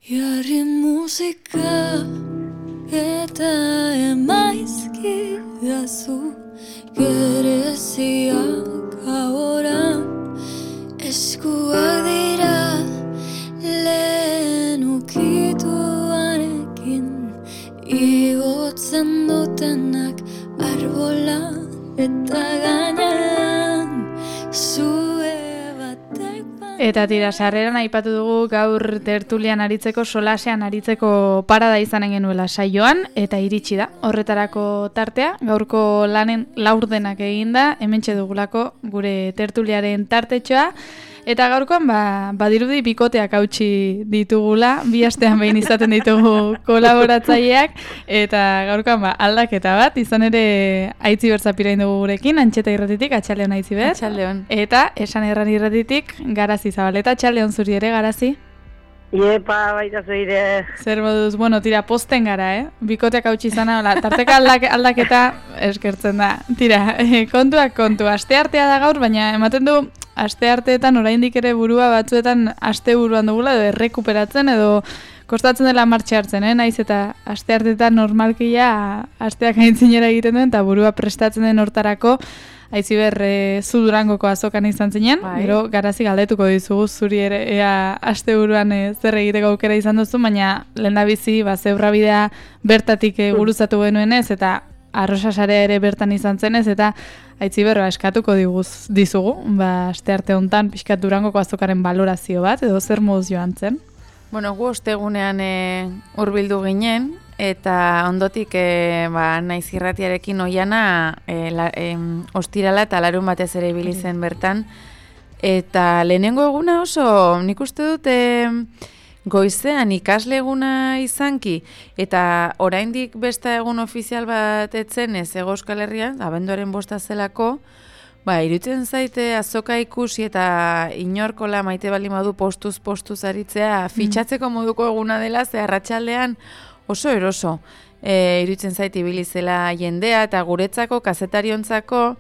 Jarri musika eta emaizki dazu gereziak ahora eskuak dira lehen ukituarekin igotzen dutenak arbola eta gainean zue batek Eta tira, sarreran aipatu dugu gaur tertulian aritzeko, solasean aritzeko parada izanen genuela saioan, eta iritsi da. Horretarako tartea, gaurko lanen laurdenak eginda, hementxe dugulako gure tertuliaren tartetxoa, eta gaurkoan badirudi bikoteak hautsi ditugula, bi astean behin izaten ditugu kolaboratzaileak, eta gaurkoan aldaketa bat, izan ere Aitzi Berzapirain dugu gurekin, Antxeta Irratitik, Atxaldeon Aitzi Ber. Atxaldeon. Eta Esan Erran Irratitik, Garazi Zabaleta, Atxaldeon zuri ere, Garazi. Iepa, baita zeire. Zer moduz, bueno, tira, posten gara, bikoteak hautsi izana, tarteka aldaketa eskertzen da. Tira, kontua, asteartea da gaur, baina ematen du, astearteetan oraindik ere burua batzuetan asteburuan dugula, edo errekuperatzen, edo kostatzen dela martxa hartzen, naiz eta astearteetan normalkia asteak aintzinera egiten duen, eta burua prestatzen den hortarako, Aitzi Ber, zu Durangoko azokan izan zinen, gero Garazi galdetuko dizugu zuri ere ea asteburuan zer egiteko aukera izan duzu, baina lehendabizi zeurrabidea bertatik guruzatu genuenez, eta Arrosasarea ere bertan izan zenez, eta Aitzi Ber, eskatuko dizugu, astearte hontan pixkat Durangoko azokaren balorazio bat, edo zer moduz joan zen? Bueno, gu ostegunean hurbildu ginen, eta ondotik naiz irratiarekin oiana ostirala eta larun batez ere ibili zen bertan. Eta lehenengo eguna oso, nik uste dut goizean ikasle eguna izanki, eta oraindik beste egun ofizial bat etzen ez Hego Euskal Herrian, abenduaren 5 zelako, iruditzen zaite azoka ikusi eta inorkola maite baldin badu postuz aritzea fitxatzeko moduko eguna dela, ze arratsaldean oso eroso. Iruditzen zaite ibili zela jendea eta guretzako, kazetariontzako,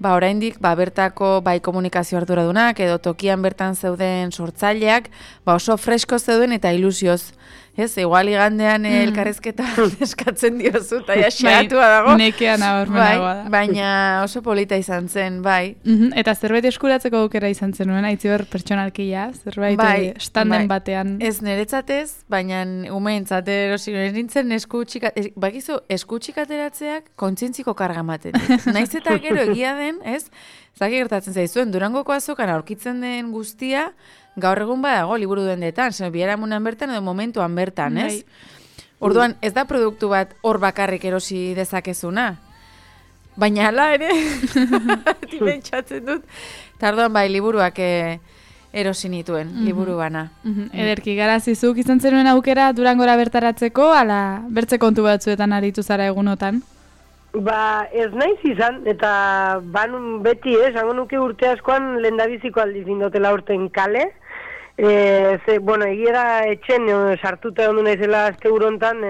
oraindik bertako komunikazio arduradunak edo tokian bertan zeuden sortzaileak oso fresko zeuden eta ilusioz. Ez, igual igandean elkarrezketa eskatzen diozu, eta xeatua dago. Nekean abormenagoa da. Baina oso polita izan zen, bai. Eta zerbait eskuratzeko aukera izan zenuen, Aitzi Ber pertsonalkia, zerbait standen batean. Ez niretzatez, baina umeentzat erosi nintzen esku txikateratzeak kontzientziko karga ematen. Naiz eta gero egia den, ez? Zaki gertatzen zaizuen, Durangoko azokan aurkitzen den guztia, gaur egun badago liburu dendetan, biharamunan bertan edo momentuan bertan, ez? Orduan, ez da produktu bat hor bakarrik erosi dezakezuna. Baina hala ere, pentsatzen dut. Eta orduan liburuak erosi nituen, liburu bana. Ederki, Garazizuk izan zenuen aukera Durangora bertaratzeko, ala bertze kontu batzuetan aritu zara egunotan? Ez naiz izan, eta banun beti, zango nuke urte askoan lehendabiziko aldiz indotela urten kale. Egiera etxen sartuta egon du naizela azte urontan.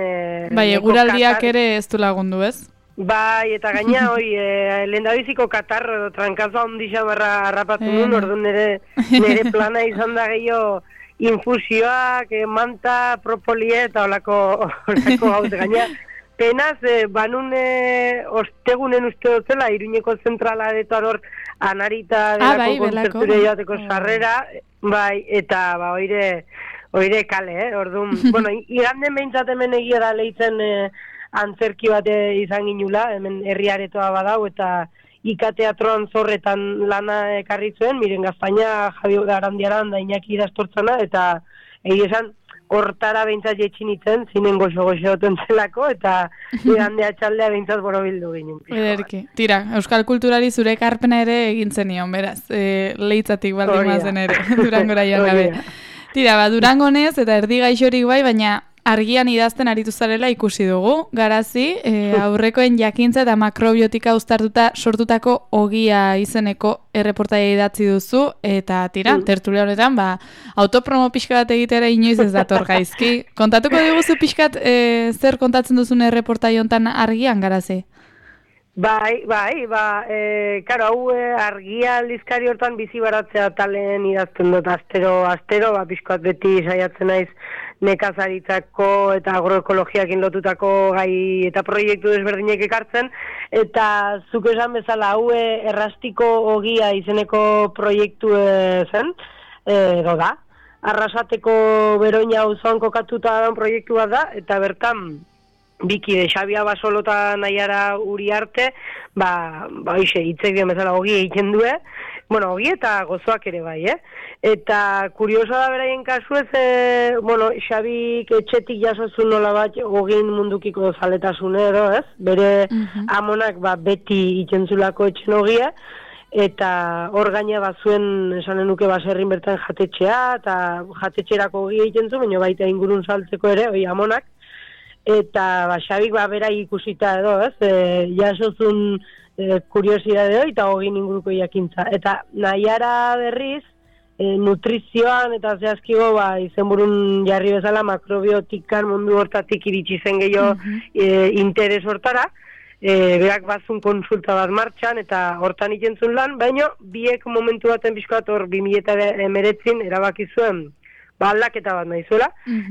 Eguraldiak ere ez du lagundu, ez? Eta gaina, lehendabiziko katarro edo trankazoa ondisa barra harrapatu nuen, orduan nire plana izan da gehiago infusioak, manta, propolie eta olako gauz gaina. Penaz, banun ostegunen uste dutzela, Iruñeko zentrala detoan hor anarita delako kontzerture joateko sarrera, eta oire kale, orduan. Iganden behintzat hemen egia da lehitzen antzerki bat izan ginula, hemen herriaretoa badau, eta ikateatroan zorretan lana ekarri zuen, miren Gazpaina, Javi Arandiaran da Iñaki idaztortzana, eta egia esan, hortara behintzat jetxinitzen, zinen goxo-goxo zelako, eta igandea txaldea behintzat borobildu ginen. Ederki. Tira, euskal kulturari zure ekarpena ere egintzen nion, beraz, lehitzatik baldin mazen ere, Durangora joan gabe. Tira, Durangonez eta erdi gaixorik baina argian idazten aritu zarela ikusi dugu, Garazi, aurrekoen jakintza eta makrobiotika uztartuta sortutako ogia izeneko erreportaia idatzi duzu, eta tira, tertulia honetan, autopromo pixka bat egitera inoiz ez dator gaizki. Kontatuko diguzu pixkat zer kontatzen duzun erreportaia honetan argian, Garazi? Bai, karo, hau argia aldizkari hortan bizi baratzea talen idazten dut, astero, pixkoat beti saiatzen naiz nekazaritzako eta agroekologiakin lotutako gai eta proiektu desberdinek ekartzen, eta zuk esan bezala hau errastiko ogia izeneko proiektu zen, edo da, Arrasateko Beroina auzoan kokatuta daun proiektu bat da, eta bertan Biki, Xabia Basolo eta Naiara Uriarte, hitzek dian bezala ogi egiten due, ogi eta gozoak ere bai, Eta kurioso da beraien kasu ez, Xabik etxetik jasozun nola bat ogin mundukiko zaletasune edo, ez? Bere amonak beti ikentzulako etxen ogia, eta hor gaina bazuen esanen nuke baserrin bertan jatetxea, eta jatetxerako ogi egiten zu, baina baita ingurun saltzeko ere, amonak, eta Xabik bera ikusita edo, ez? Jasozun kuriosidade hori eta hogin inguruko jakintza. Eta Naiara berriz, nutrizioan eta zehazkigo izenburun jarri bezala makrobiotikan mundu hortatik iritsi zen gehiago interes hortara, berak bazun konsulta bat martxan eta hortan ikentzun lan, baina biek momentu baten pixkoat hor 2019 erabaki zuen aldaketa bat nahizuela,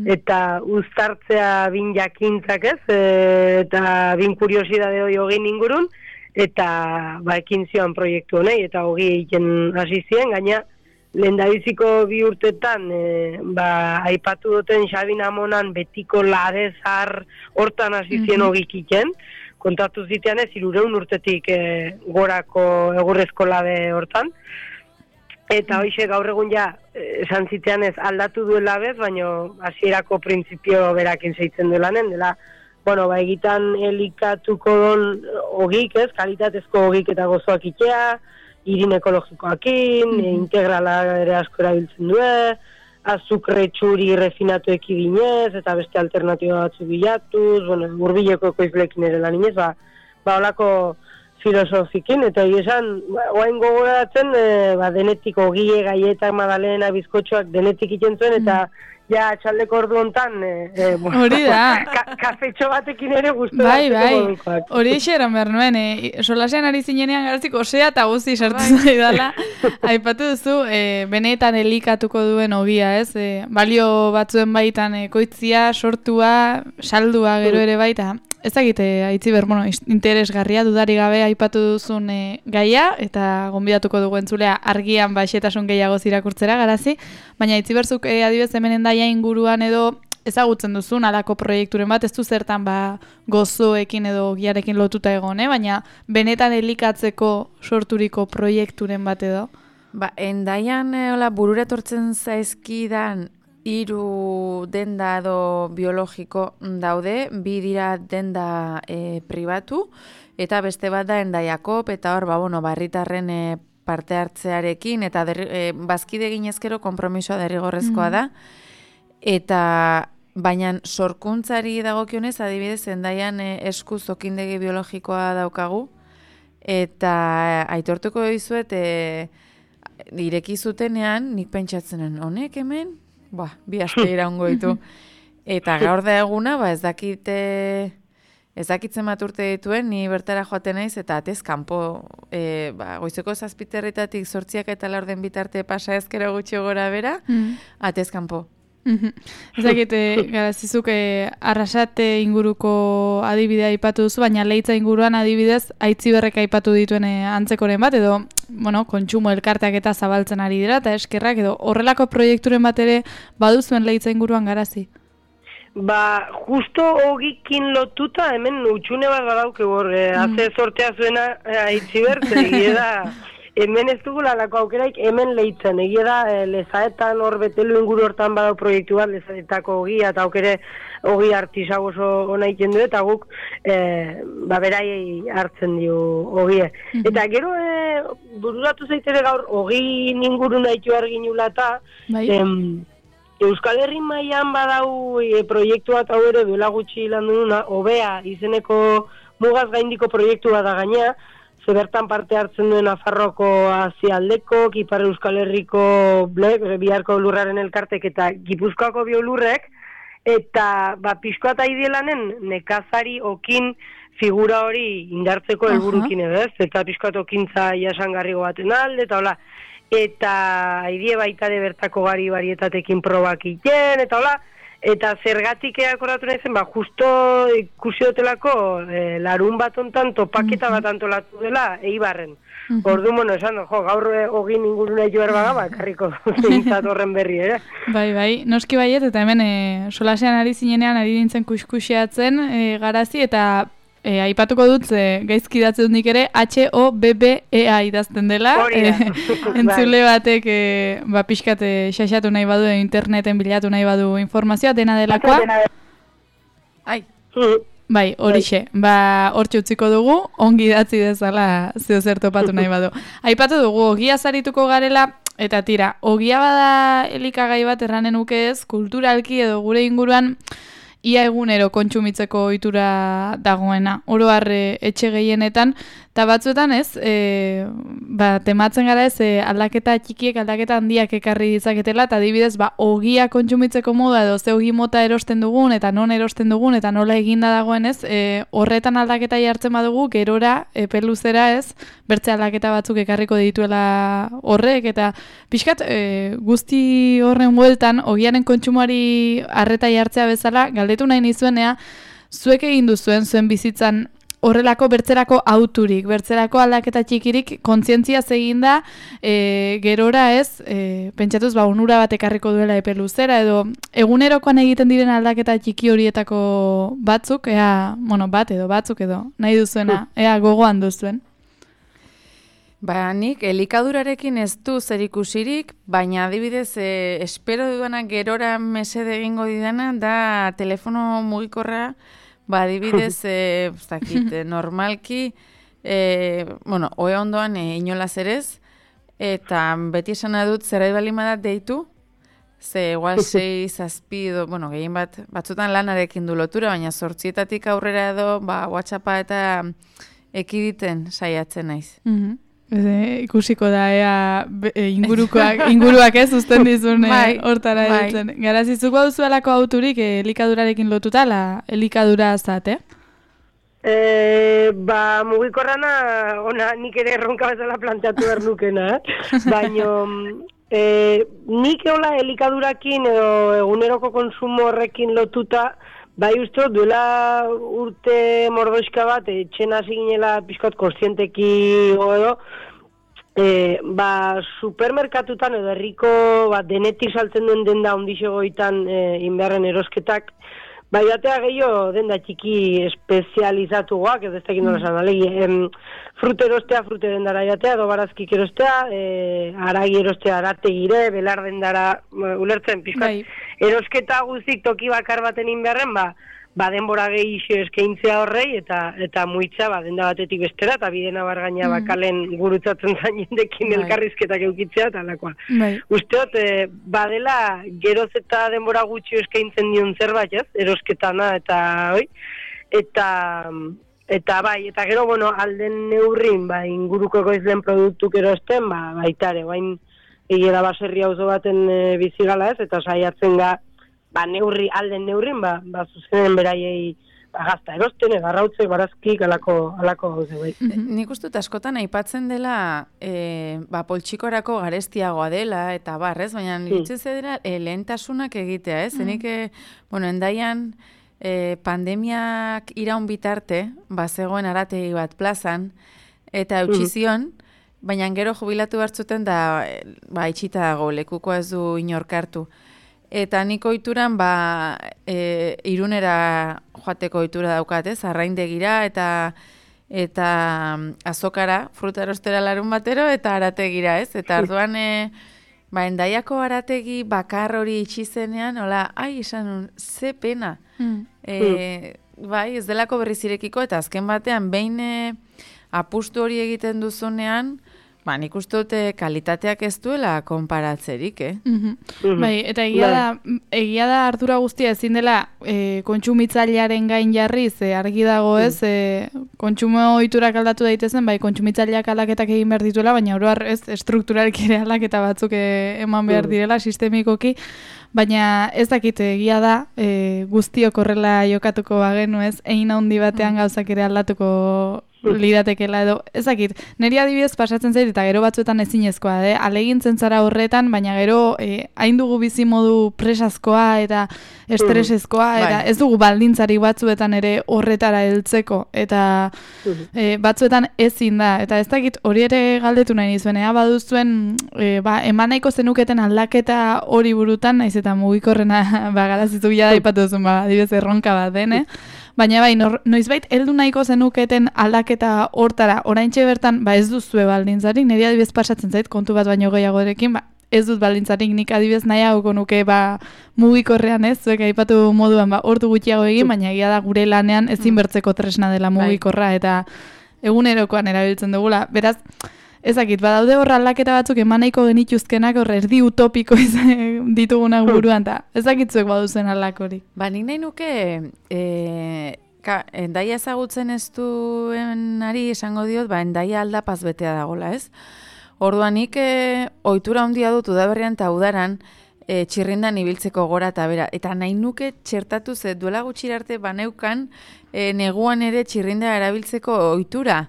eta uztartzea bin jakintzak ez, eta bin kuriosidade hori hogin ingurun, eta ekin zioan proiektu honei, eta hogi egiten hasi ziren, gaina lehendabiziko 2 urtetan, aipatu duten Xabin amonan betiko ladezar hortan hasi ziren hogik iken, kontatu zitean ez, 300 urtetik gorako egurrezko lade hortan, eta hoxe gaur egun esan zitean ez aldatu duela bez, baina hasierako printzipio berakin zeitzen duelanen, dela, egitan elikatuko don ogik ez, kalitatezko ogik eta gozoak itea, irin ekologikoakin, integrala ere asko erabiltzen du, azukre txuri refinatu ekidinez, eta beste alternatiba batzu bilatuz, hurbileko ekoizlekin ere lan inez, holako filosofikin, eta esan, oain gogoratzen, denetik ogie, gaietak, madalena, bizkotxoak denetik iten zuen, eta txaldeko ordu hontan, hori da. Kafetxo batekin ere guztu. Bai, hori eran behar nuen, solasean ari zinenean garazik osea eta guzti sartu zaidala. Aipatu duzu, benetan elikatuko duen ogia, ez? Balio batzuen baitan koitzia, sortua, saldua gero ere baita. Ez dakite, Aitziber, interesgarria dudari gabe aipatu duzun gaia, eta gonbidatuko dugu entzulea argian xehetasun gehiago irakurtzera garazi, baina Aitziberzuk adibidez hemen endaia inguruan edo ezagutzen duzun alako proiekturen bat, ez du zertan gozoekin edo giarekin lotuta egon, baina benetan elikatzeko sorturiko proiekturen bat edo? Endaian burura etortzen zaizkidan 3 denda edo biologiko daude, 2 dira denda pribatu, eta beste bat da Endaiakop, eta hor, barritarren parte hartzearekin, eta bazkide ginezkero konpromisoa derrigorrezkoa da, eta baina sorkuntzari dagokionez, adibidez, Endaian eskuz okindegi biologikoa daukagu, eta aitortuko dizuet, ireki zutenean, nik pentsatzenen, honek hemen? 2 aste iraungo ditu. Eta gaur da eguna, ez dakitzen bat urte dituen, ni bertara joaten naiz, eta atez kanpo, goizeko 7:00 8:00 eta 4 bitarte pasa ezkero gutxi gora bera, atez kanpo. Ez dakit, garazizuk Arrasate inguruko adibidea aipatu duzu, baina Leitza inguruan adibidez Aitziberrek aipatu dituen antzekoren bat, edo kontsumo elkarteak eta zabaltzen ari dira, eta eskerrak, edo horrelako proiekturen bat ere baduzuen Leitza inguruan garazi? Justo hogikin lotuta, hemen utxune bat badauke hor, haze sortea zuena Aitziber, da... Hemen ez dugula lako aukeraik, hemen Leitzen. Egia da, lezaetan hor betelu inguru hortan badau proiektu bat, lezaetako ogia, eta aukere ogi artisau oso ona iten du, eta guk beraiei hartzen dio ogie. Eta gero, bururatu zaitere gaur, ogi inguru nahitu arginula eta, Euskal Herri mailan badau proiektu bat hau ere duela gutxi lan duna, Obea izeneko mugaz gaindiko proiektu bat da gaina, bertan parte hartzen duen Nafarroko azialdeko, Ipar Euskal Herriko biharko lurraren elkartek eta Gipuzkoako biolurrek, eta pixkoa eta idealanen nekazari okin figura hori indartzeko helburukin edo ez, eta pixkatokintza jasangarrigo baten alde, eta hola, eta haidie baita de bertako varietatekin probak iten, eta hola, eta zergatik akordatu nahi zen, justo ikusi dotelako larun bat ontan topaketa bat antolatu dela Eibarren. Ordu, esan, gaur ogin inguruna joer baga, karriko zintzat horren berri, ere? Bai, noski baiet, eta hemen solasean ari zinenean ari nintzen kuskusiatzen garazi, eta aipatuko dut, gaizki datze dut nik ere, HOBBEA idazten dela. Entzule batek pixkat xaxatu nahi badu, interneten bilatu nahi badu informazioa, dena delakoa. Bai, horixe. Hortxe utziko dugu, ongi idatzi dezala zeo zer topatu nahi badu. Aipatu dugu, ogia zarituko garela, eta tira, ogia bada elikagai bat erranen uke ez, kulturalki edo gure inguruan, ia egunero kontsumitzeko ohitura dagoena. Oro har etxe gehienetan, eta batzuetan ez, tematzen gara ez, aldaketa txikiek, aldaketa handiak ekarri ditzaketela, eta adibidez, ogia kontsumitzeko moda edo ze ogi mota erosten dugun, eta non erosten dugun, eta nola eginda dagoen ez, horretan aldaketa jartzen badugu, gerora, peluzera ez, bertze aldaketa batzuk ekarriko dituela horrek, eta pixkat, guzti horren bueltan, ogiaren kontsumoari arreta jartzea bezala, galdetu nahi nizuenea, zuek egin duzuen zuen bizitzan horrelako bertzerako auturik, bertzerako aldaketa txikirik kontzientzia eginda gerora ez, pentsatuz onura bat ekarriko duela epe luzera, edo egunerokoan egiten diren aldaketa txiki horietako batzuk, bat edo batzuk edo, nahi duzuena, gogoan duzuen. Nik elikadurarekin ez du zerikusirik, baina adibidez espero dudanak gerora mesede egingo didana da telefono mugikorra, adibidez normalki, oe ondoan inolaz erez, eta beti esana dut zerbait balimadat deitu, ze igual 6, 7, gehien batzutan lanarekin du lotura, baina 8 aurrera edo WhatsAppa eta ekiditen saiatzen naiz. Ikusiko da, inguruak ez uzten dizun hortara edutzen. Garazizuk duzuelako auturik elikadurarekin lotuta, elikadura zate? Mugikorrana, nik ere erronka bezala planteatu behar nukena, baina nik eola elikadurakin edo eguneroko konsumo horrekin lotuta, uste duela urte mordoizka bat, etxena ziginela pixkat kontzienteki edo, supermerkatutan edo herriko denetik saltzen duen denda ondixegoitan inbeharren erosketak, jatea gehiago denda txiki espezializatuak, edo ez tekin nola esan, alegi, frute erostea, frute dendara jatea, edo barazkik erostea, aragi erostea, arategire, belar dendara, ulertzen, pixkat, erosketa guzik toki bakar baten inbeharren, denbora gehiago eskaintzea horrei, eta muitza denda batetik bestera, eta bidena bargaina bakalen gurutzatzen zain jendekin elkarrizketak eukitzea, eta alakoa. Usteot, badela geroz eta denbora gutxi eskaintzen dion zerbait, ez? Erosketana, eta gero, alden neurrin, inguruko egoizlen produktuk erosten, baitare, egera baserri auzo baten bizigala ez, eta saiatzen ga, alden neurrin, zuzenen beraiei gazta erosten, egarrautzek, barazkik, alako gauze, bai. Nik uste askotan aipatzen dela, poltsikorako garestiagoa dela, eta barrez, baina niretzez edera lehentasunak egitea, ez? Zenik, endaian, pandemiak iraun bitarte, zegoen arategi bat plazan, eta eutxizion, baina gero jubilatu hartzuten da, itxita dago, lekukoa ez du inorkartu. Eta nik oituran, irunera joateko oitura daukat, ez? Arraindegira eta azokara, fruta erostera larun batero, eta arategira, ez? Eta orduan, endaiako arategi bakar hori itxizenean, esan, ze pena. Ez delako berriz irekiko, eta azken batean, behin apustu hori egiten duzunean, nik uste dute kalitateak ez duela konparatzerik, Bai, eta egia da ardura guztia ezin dela kontsumitzailearen gain jarri, ze argi dago ez, kontsumo ohiturak aldatu daitezen, bai, kontsumitzaileak aldaketak egin behar dituela, baina oro har ez estrukturalki ere aldaketa batzuk eman behar direla sistemikoki, baina ez dakit egia da guztiok horrela jokatuko bagenu ez, egin handi batean gauzak ere aldatuko liratekela edo, ez dakit, niri adibidez pasatzen zait eta gero batzuetan ezinezkoa, alegintzen zara horretan, baina gero hain dugu bizi modu presazkoa eta estresezkoa, eta ez dugu baldintzari batzuetan ere horretara heltzeko, eta batzuetan ezin da, eta ez dakit hori ere galdetu nahi nizuen, baduzuen, eman nahiko zenuketen aldaketa hori burutan, naiz eta mugikorrena garazizu bila daipatu duzun, adibidez erronka bat den, baina bai, noizbait heldu nahiko zenuketen aldaketa hortara, oraintxe bertan, ez duzue baldintzarik, niri adibidez pasatzen zait, kontu bat baino gehiagorekin, ez dut baldintzarik, nik adibidez nahiago nuke mugikorrean ez, zuek aipatu moduan ordu gutxiago egin, baina egia da gure lanean ezin bertzeko tresna dela mugikorra, eta egunerokoan erabiltzen dugula, beraz, ezakit, badaude horra aldaketa batzuk emanaiko genituzkenak horre erdi utopiko ditugunak buruan, eta ezakitzuek baduzen aldakorik. Nik nahi nuke, endaia ezagutzen ez duenari esango diot, endaia aldapaz betea dagola, ez? Orduan nik ohitura handia dut udaberrian eta udaran txirrindan ibiltzeko gora eta bera. Eta nahi nuke txertatu ze duela gutxi arte baneukan neguan ere txirrinda erabiltzeko ohitura.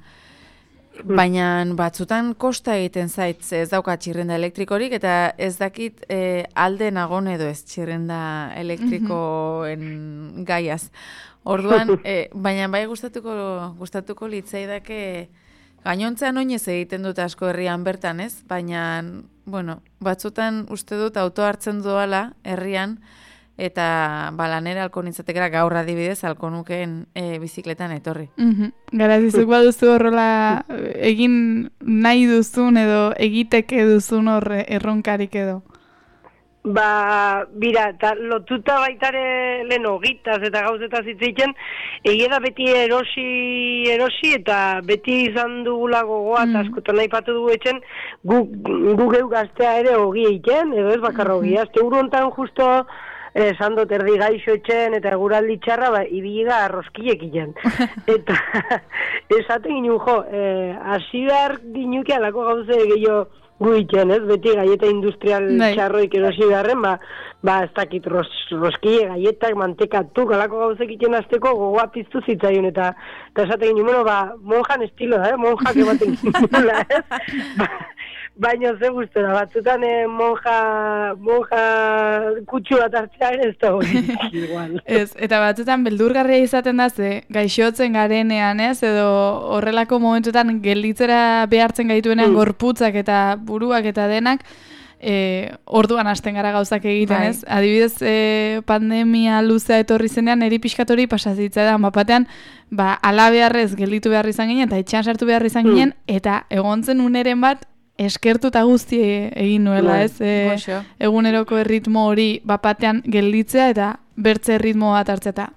Baina batzutan kosta egiten zait, ez dauka txirrenda elektrikorik, eta ez dakit alde nagon edo ez txirrenda elektrikoen gaiaz. Orduan, baina bai gustatuko litzaidake gainontzean oinez egiten dut asko herrian bertan, ez? Baina, batzutan uste dut auto hartzen doala herrian, eta lanera alko nintzatekera gaur adibidez alko nukeen bizikletan etorri. Garazizuk baduzu horrela egin nahi duzun edo egiteke duzun horre erronkarik edo? Bira, eta lotuta baitare lehen ogitaz eta gauzetaz hitzitzen, egia da beti erosi eta beti izan dugula gogoa, eta askotan nahi patu dugu etxen, gu geu gaztea ere ogi egiten, edo ez bakarra ogia. Azte hontan justo esan dut erdi gaixo etxen eta eguraldi txarra, ibiga arroskilek egiten. Eta esaten ginen, hasi behar ginuke alako gauze gehiago gu egiten, ez? Beti gaieta industrial txarroik erosi beharren, ez dakit roskile, gaietak, mantekatuk, alako gauzek egiten azteko gogoa piztu zitzaion, eta esaten ginen, monjan estilo da, monjak ematen ginen, ez? Baina ze gustora, batzutan monja kutsu bat hartzea ez da hori igual. Ez, eta batzutan beldurgarria izaten da ze gaixotzen garenean, ez? Edo horrelako momentuetan gelditzera behartzen gaituenean gorputzak eta buruak eta denak, orduan hasten gara gauzak egiten, ez? Adibidez, pandemia luzea etorri zenean, eri pixkatori pasazitza da, batean, ala beharrez gelditu behar izan ginen, eta etxean sartu behar izan ginen, eta egon zen uneren bat, eskertu eta guzti egin nuela, ez? Eguneroko erritmo hori bapatean gelditzea eta bertze erritmo bat hartzea eta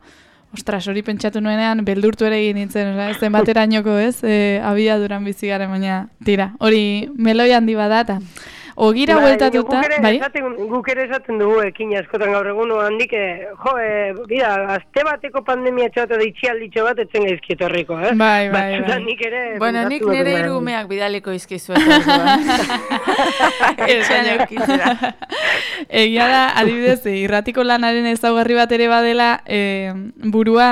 ostras, hori pentsatu nuenean beldurtu ere egin nintzen, zen baterainoko, ez? Abiaduran bizi garen, baina tira, hori meloi handi bada eta ogira bueltatuta, bai? Guk ere esaten dugu ekin askotan gaur egun handik, bida, azte bateko pandemia txoat edo itxialditxo bat etzen gaizkieto horriko, eh? Bai. Nik ere... Bueno, nik nire irumeak bidaliko izkizuet. Egia da, adibidez, irratiko lanaren ezaugarri bat ere badela, burua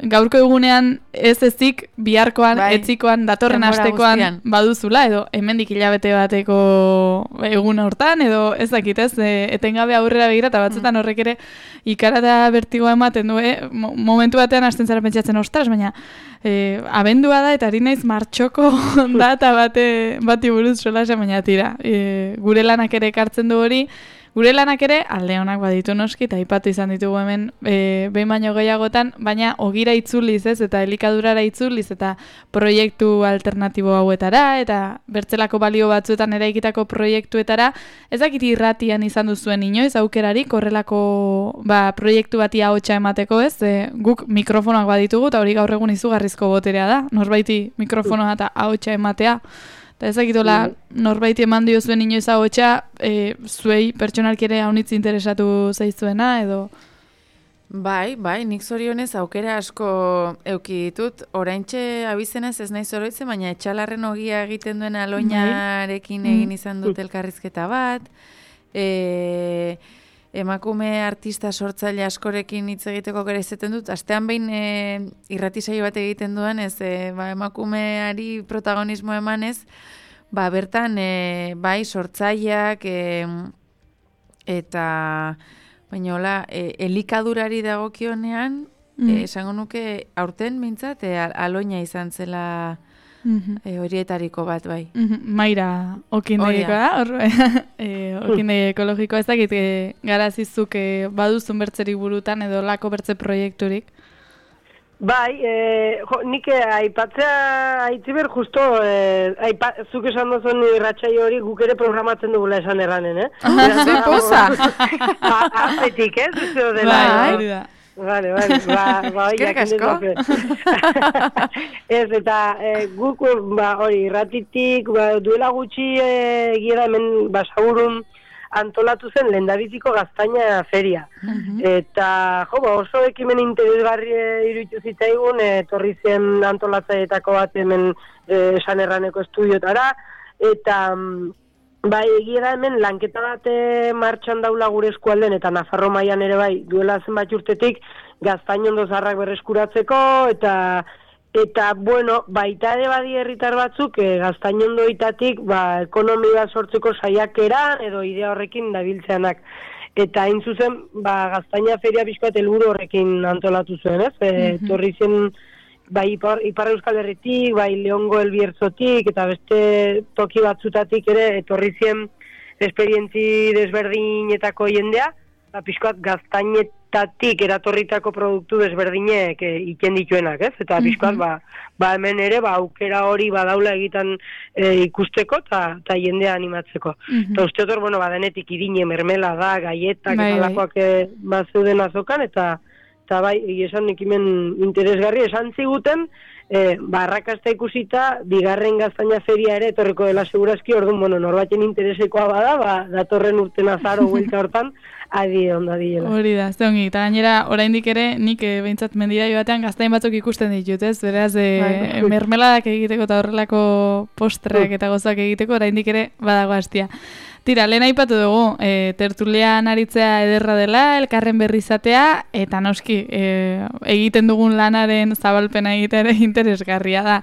gaurko egunean ez ezik biharkoan, etzikoan, datorren astekoan baduzula, edo hemendik hilabete bateko egun hortan, edo ez dakit ez, etengabe aurrera begira, eta batzutan horrek ere ikarata bertigoa ematen du, momentu batean hasten zara pentsatzen ostras, baina abendua da, eta ari naiz martxoko data bati buruz solasen, baina tira, gure lanak ere ekartzen du hori, gure lanak ere alde honak baditu noski, eta aipatu izan ditugu hemen behin baino gehiagotan, baina ogira itzuliz ez, eta elikadurara itzuliz, eta proiektu alternatibo hauetara, eta bertzelako balio batzuetan eraikitako proiektuetara, ezakit irratian izan duzuen inoiz, aukerarik, horrelako proiektu bati ahotsa emateko ez, guk mikrofonoak baditugu, eta hori gaur egun izugarrizko boterea da, norbaiti mikrofonoa eta ahotsa ematea, Eta ezakitola norbait eman dio zuen inoiz ahotsa, zuei pertsonalki ere haunitz interesatu zaizuena, edo... Bai, nik zorionez aukera asko euki ditut. Oraintxe abizenez ez naiz oroitzen, baina Etxalarren Ogia egiten duen Aloinarekin egin izan dut elkarrizketa bat. Emakume artista sortzaile askorekin hitz egiteko gara izaten dut. Astean behin irrati saio bat egiten duan, emakumeari protagonismo emanez, bertan bai sortzaileak eta... Baina hola, elikadurari dagokionean, esango nuke aurten mintzat, Aloina izan zela horietariko bat, bai. Maira okindeikoa da, okindegi ekologikoa ez dakit garazizuk baduzun bertzerik burutan edo lako bertze proiekturik. Bai, nik aipatzea aitziber justo, zuk esan dozuen irratxai hori guk ere programatzen dugula esan erranen, Zui poza! Apetik, zuzio dela. Bai, da. Vale, eskerrik asko. Ez, eta guk hori irratitik, duela gutxi egia hemen basagurun antolatu zen lehendabiziko gaztaina feria. Eta oso ekimen interesgarri iruditu zitzaigun, etorri zen antolatzaileetako bat hemen Esan Erraneko estudiotara, eta bai, egia da hemen lanketa bat martxan daula gure eskualden, eta Nafarro mailan ere bai, duela zenbat urtetik gaztainondo zaharrak berreskuratzeko, eta bueno, baita ere badi herritar batzuk gaztainondoitatik ekonomia sortzeko saiakeran edo idea horrekin dabiltzeanak. Eta hain zuzen, gaztaina feria pixkat helburu horrekin antolatu zuen, ez? Torri zen, bai Ipar Euskal Herritik, bai Leongo Elbiertzotik, eta beste toki batzutatik ere, etorri zen esperientzi desberdinetako jendea, pixkat gaztainetatik eratorritako produktu desberdinek iken dituenak, ez? Eta pixkat, hemen ere, aukera hori badaula egiten ikusteko eta jendea animatzeko. Eta uste hor, denetik irine, mermela da, gaietak, eta lakoak bazeuden azokan, eta bai, esan ekimen interesgarri, esan ziguten, arrakasta ikusita, bigarren gaztaina feria ere etorriko dela segurazki, orduan, norbaiten interesekoa bada, datorren urten azaro huelta hortan, adi onda diela. Hori da, ze ongi, eta gainera, oraindik ere, nik behintzat mendira joatean gaztain batzuk ikusten ditut, ez? Beraz, mermeladak egiteko eta horrelako postreak eta gozak egiteko, oraindik ere badago hastia. Tira, lehen aipatu dugu, tertulian aritzea ederra dela, elkarren berri izatea, eta noski, egiten dugun lanaren zabalpena egitea ere interesgarria da.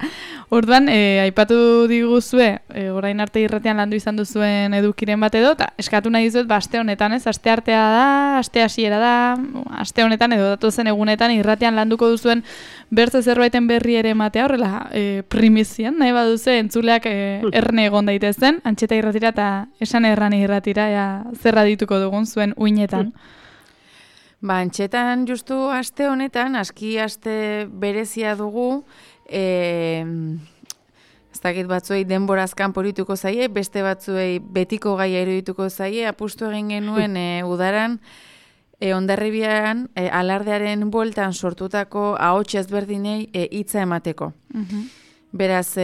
Orduan, aipatu diguzue, orain arte irratian landu izan duzuen edukiren bat edo, eta eskatu nahi dizuet, aste honetan, ez? Aste artea da, aste hasiera da, aste honetan edo datozen egunetan irratian landuko duzuen bertze zerbaiten berri ere ematea, horrela primizian, nahi baduze, entzuleak erne egon daitezen, Antxeta irratira eta Esan Errani irratira, zerra dituko dugun zuen uinetan. Antxetan justu aste honetan, aski aste berezia dugu, ez dakit batzuei denborazkan porituko zaie, beste batzuei betiko gaia irudituko zaie, apustu egin genuen udaran, Hondarribian alardearen bueltan sortutako ahots ezberdinei hitza emateko. Beraz,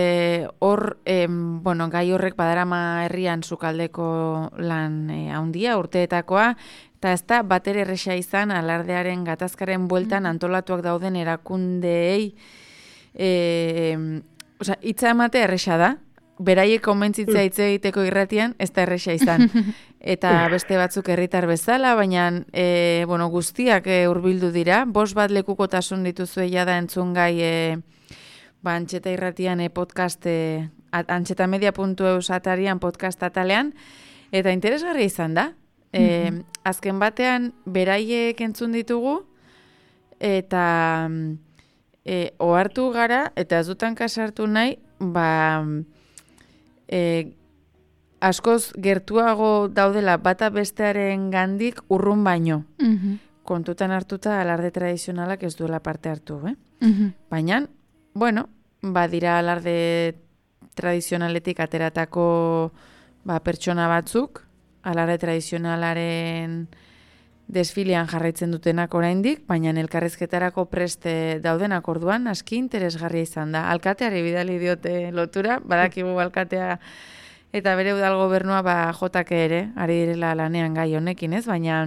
hor, gai horrek badarama herrian sukaldeko lan handia, urteetakoa, eta ez da batere erresa izan alardearen gatazkaren bueltan antolatuak dauden erakundeei, hitza emate erresa da, beraiek konbentzitzea hitz egiteko irratian, ez da erresa izan. Eta beste batzuk herritar bezala, baina guztiak hurbildu dira. 5 lekukotasun dituzue jada entzungai Antxeta irratian podcast, antxetamedia.eus atarian podcast atalean, eta interesgarria izan da. Azken batean, beraiek entzun ditugu, eta ohartu gara, eta ez dutan kasartu nahi, askoz gertuago daudela bata bestearen gandik urrun baino. Kontutan hartuta alarde tradizionalak ez duela parte hartu, Baina, badira alarde tradizionaletik ateratako pertsona batzuk, alarde tradizionalaren desfilean jarraitzen dutenak oraindik, baina elkarrizketarako preste daudenak orduan aski interesgarria izan da. Alkateari bidali diote lotura, badakigu alkatea eta bere udal gobernua jotak ere, ari direla lanean gai honekin, ez? Baina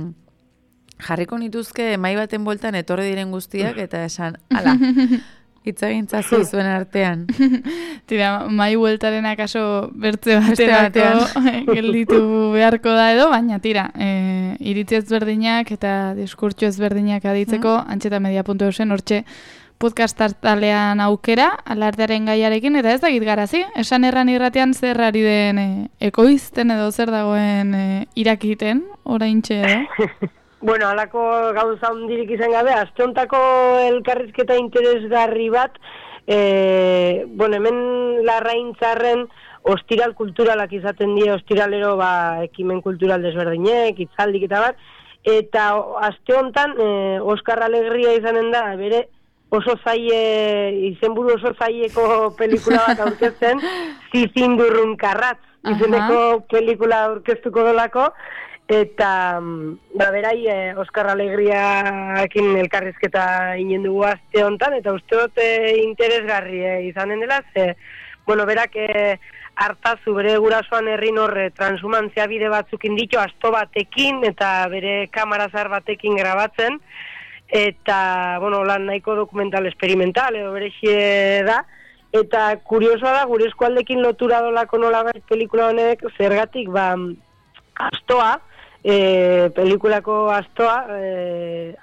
jarriko nituzke mai baten bueltan etorri diren guztiak eta esan, ala, hitzagintzazu zuen artean. Tira, mai bueltaren akaso bertze baterako gelditu beharko da edo, baina tira, iritzi ezberdinak eta diskurtso ezberdinak aditzeko, antxetamedia.eusen hortxe podcast hartalean aukera, alardearen gaiarekin, eta ez dakit garazi, esan erran irratean zer ari den ekoizten edo zer dagoen irakiten, oraintxe edo? Bueno, alako gauza hundirik izan gabe, aste hontako elkarrizketa interesgarri bat, hemen Larraintzarren ostiral kulturalak izaten die, ostiralero ekimen kultural desberdinek, hitzaldik eta bat, eta aste hontan Oskar Alegria izanen da, bere oso izenburu oso zaileko pelikula bat aurkezten, Zizindurrun Karratz, izeneko pelikula aurkeztuko dolako, eta berai Oskar Alegriakin elkarrizketa inen dugu aste hontan, eta uste dut interesgarri izanen dela, berak hartazu bere gurasoan herrin horre transhumantzia bide batzukin ditu, asto batekin eta bere kamarazar batekin grabatzen, eta, lan nahiko dokumental experimental, edo berexie da, eta kuriosoa da, gure eskualdekin lotura dolako nolabait pelikula honek, zergatik, astoa, pelikulako astoa,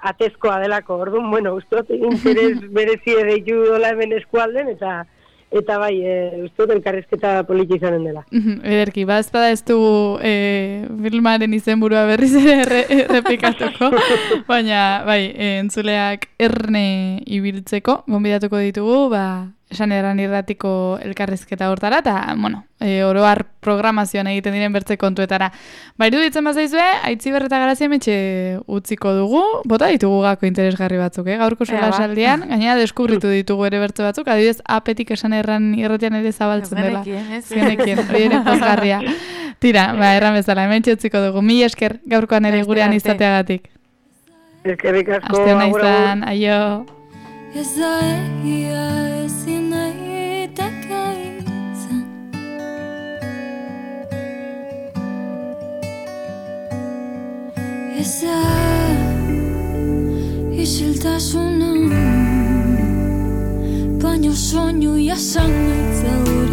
atezkoa delako, orduan, ustot, interes berezi edeitu dola hemen eskualden, eta bai, ustot, elkarrizketa politi izanen dela. Ederki, ezpada ez du filmaren izenburua berriz ere errepikatuko, baina, bai, entzuleak erne ibiltzeko, gonbidatuko ditugu, esan eran irratiko elkarrizketa hortara, eta, oroar programazioan egiten diren bertze kontuetara. Iruditzen bazaizue, Aitziber eta Garazia metxe utziko dugu, bota ditugu gako interesgarri batzuk, gaurko sola saldian, gainera deskubritu ditugu ere bertze batzuk, adibidez, apetik esan erran irratian ere zabaltzen dela. Zenekien, hori ere pozgarria. Tira, erran bezala, hemen utziko dugu. Mila esker gaurkoan ere gurean izateagatik. Eskerrik asko. Aste hona izan, aio. Ez da egia ezin daiteke izan. Ez da isiltasuna, baino soinu jasan naitzaur.